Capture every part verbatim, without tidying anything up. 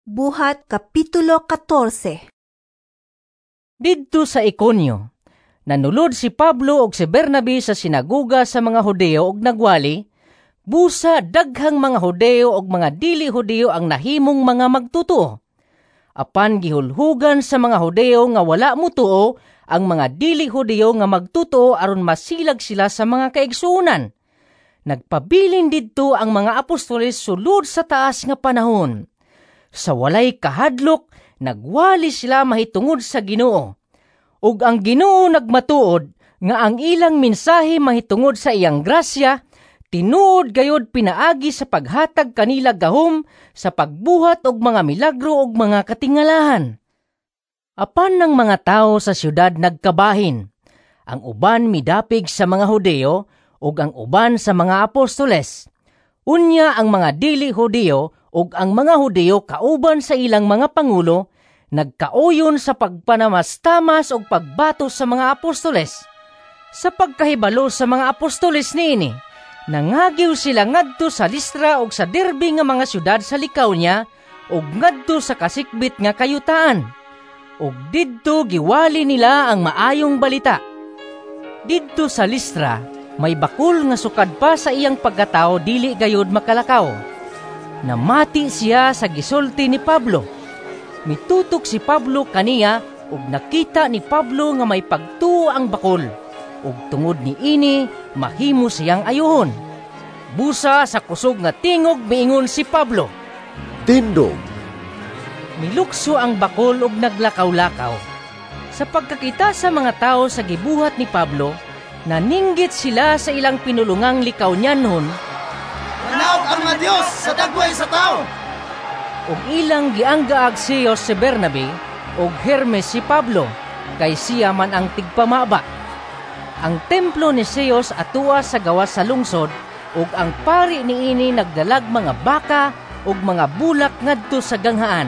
Buhat Kapitulo katorse. Didto sa Iconio, nanulod si Pablo ug si Bernabe sa sinagoga sa mga Hudeo ug nagwali, busa daghang mga Hudeo ug mga dili Hudeo ang nahimong mga magtotoo. Apan gihulhugan sa mga Hudeo nga wala motuo ang mga dili Hudeo nga magtotoo aron masilag sila sa mga kaigsuonan. Nagpabilin didto ang mga apostoles sulod sa taas nga panahon. Sa walay kahadlok, nagwali sila mahitungod sa Ginoo. Ug ang Ginoo nagmatuod nga ang ilang mensahe mahitungod sa iyang grasya, tinuod gayod pinaagi sa paghatag kanila gahom sa pagbuhat og mga milagro ug mga katingalahan. Apan ng mga tao sa syudad nagkabahin. Ang uban midapig sa mga Hudeo ug ang uban sa mga apostoles. Unya ang mga dili Hudeo ug ang mga Hudeo kauban sa ilang mga pangulo nagkauyon sa pagpanamastamas ug pagbato sa mga apostoles. Sa pagkahibalo sa mga apostoles niini, nangagiw sila ngadto sa Listra ug sa Derbe nga mga syudad sa Licaonia ug ngadto sa kasikbit nga kayutaan. Ug didto giwali nila ang maayong balita. Didto sa Listra, may bakul nga sukad pa sa iyang pagkatao dili gayud makalakaw. Namati siya sa gisulti ni Pablo. Mitutok si Pablo kaniya ug nakita ni Pablo nga may pagtuo ang bakol. Ug tungod niini mahimo siyang ayuhon. Busa sa kusog nga tingog miingon si Pablo, "Tindog!" Milukso ang bakol ug naglakaw-lakaw. Sa pagkakita sa mga tao sa gibuhat ni Pablo, naninggit sila sa ilang pinulungang Licaonianhon, "Nanaog ang mga Dios sa dagway sa tao!" Ug ilang gianggaag Zeus si Bernabe ug Hermes si Pablo, kay siya man ang tigpamaba. Ang templo ni Zeus atua sa gawas sa lungsod, ug ang pari niini nagdalag mga baka ug mga bulak ngadto sa ganghaan.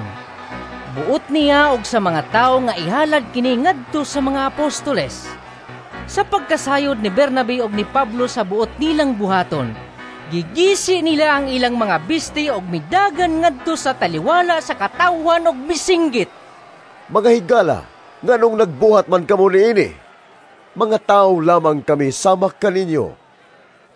Buot niya ug sa mga tawo nga ihalad kini ngadto sa mga apostoles. Sa pagkasayod ni Bernabe ug ni Pablo sa buot nilang buhaton, gigisi nila ang ilang mga bisti ug midagan ngadto sa taliwala sa katawhan ug misinggit, "Mga higala, nganong nagbuhat man kamo niini? Mga tao lamang kami sama kaninyo.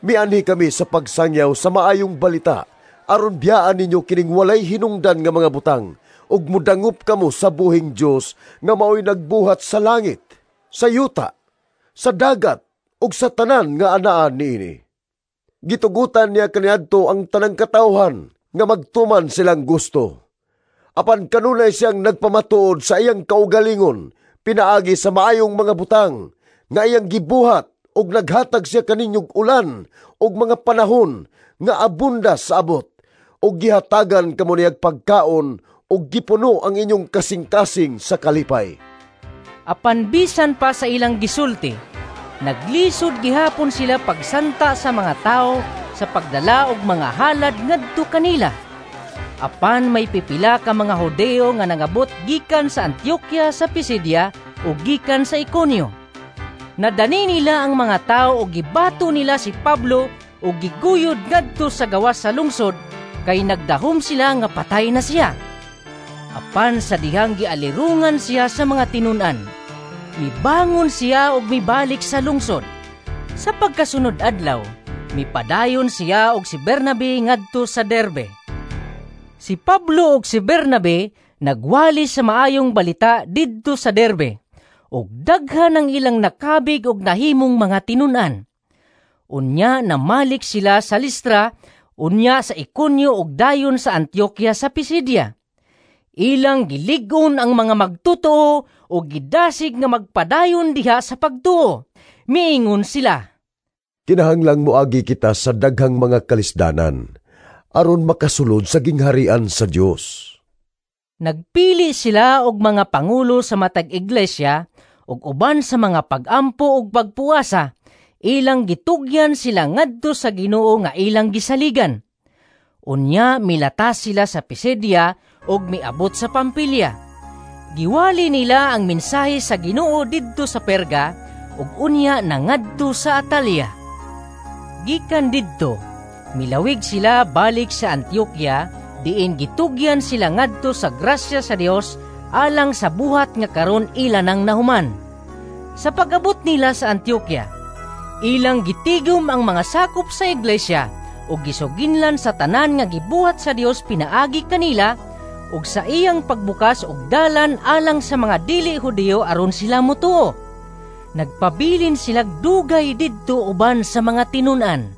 Mianhi kami sa pagsangyaw sa maayong balita aron biyaan ninyo kining walay hinungdan nga mga butang ug mudangop kamo sa buhing Dios nga maoy nagbuhat sa langit, sa yuta, sa dagat ug sa tanan nga anaa niini. Gitugutan niya kaniadto ang tanang katawhan nga magtuman silang gusto. Apan kanunay siyang nagpamatuod sa iyang kaugalingon pinaagi sa maayong mga butang nga iyang gibuhat ug naghatag siya kaninyog ulan ug mga panahon nga abunda sa abot ug gihatagan kamo niyag pagkaon ug gipuno ang inyong kasing-kasing sa kalipay." Apan bisan pa sa ilang gisulti, naglisod gihapon sila pagsanta sa mga tao sa pagdala og mga halad ngadto kanila. Apan may pipila ka mga Hudeo nga nangabot gikan sa Antioquia sa Pisidia ug gikan sa Iconio. Nadani nila ang mga tao ug gibato nila si Pablo ug giguyod ngadto sa gawas sa lungsod kay nagdahom sila nga patay na siya. Apan sa dihang gialirungan siya sa mga tinun-an, mibangon siya ug mibalik sa lungsod. Sa pagkasunod adlaw, mipadayon siya ug si Bernabe ngadto sa Derbe. Si Pablo ug si Bernabe nagwali sa maayong balita didto sa Derbe, ug daghan ang ilang nakabig ug nahimong mga tinun-an. Unya namalik sila sa Listra, unya sa Iconio ug dayon sa Antioquia sa Pisidia. Ilang gilig-on ang mga magtotoo ug gidasig nga magpadayon diha sa pagtuo. Miingon sila, "Kinahanglang moagi kita sa daghang mga kalisdanan aron makasulod sa gingharian sa Dios." Nagpili sila og mga pangulo sa matag iglesia ug uban sa mga pag-ampo ug pagpuasa, ilang gitugyan sila ngadto sa Ginoo nga ilang gisaligan. Unya milatas sila sa Pisidia ug miabot sa Pampilia. Giwali nila ang mensahe sa Ginoo didto sa Perga ug unya nangadto sa Atalia. Gikan didto, milawig sila balik sa Antioquia Diin gitugyan sila ngadto sa grasya sa Dios alang sa buhat nga karon ila nang nahuman. Sa pag-abot nila sa Antioquia, ilang gitigom ang mga sakop sa iglesia ug gisuginlan sa tanan nga gibuhat sa Dios pinaagi kanila ug sa iyang pagbukas og dalan alang sa mga dili Hudiyo aron sila motuo. Nagpabilin sila dugay didto uban sa mga tinun-an.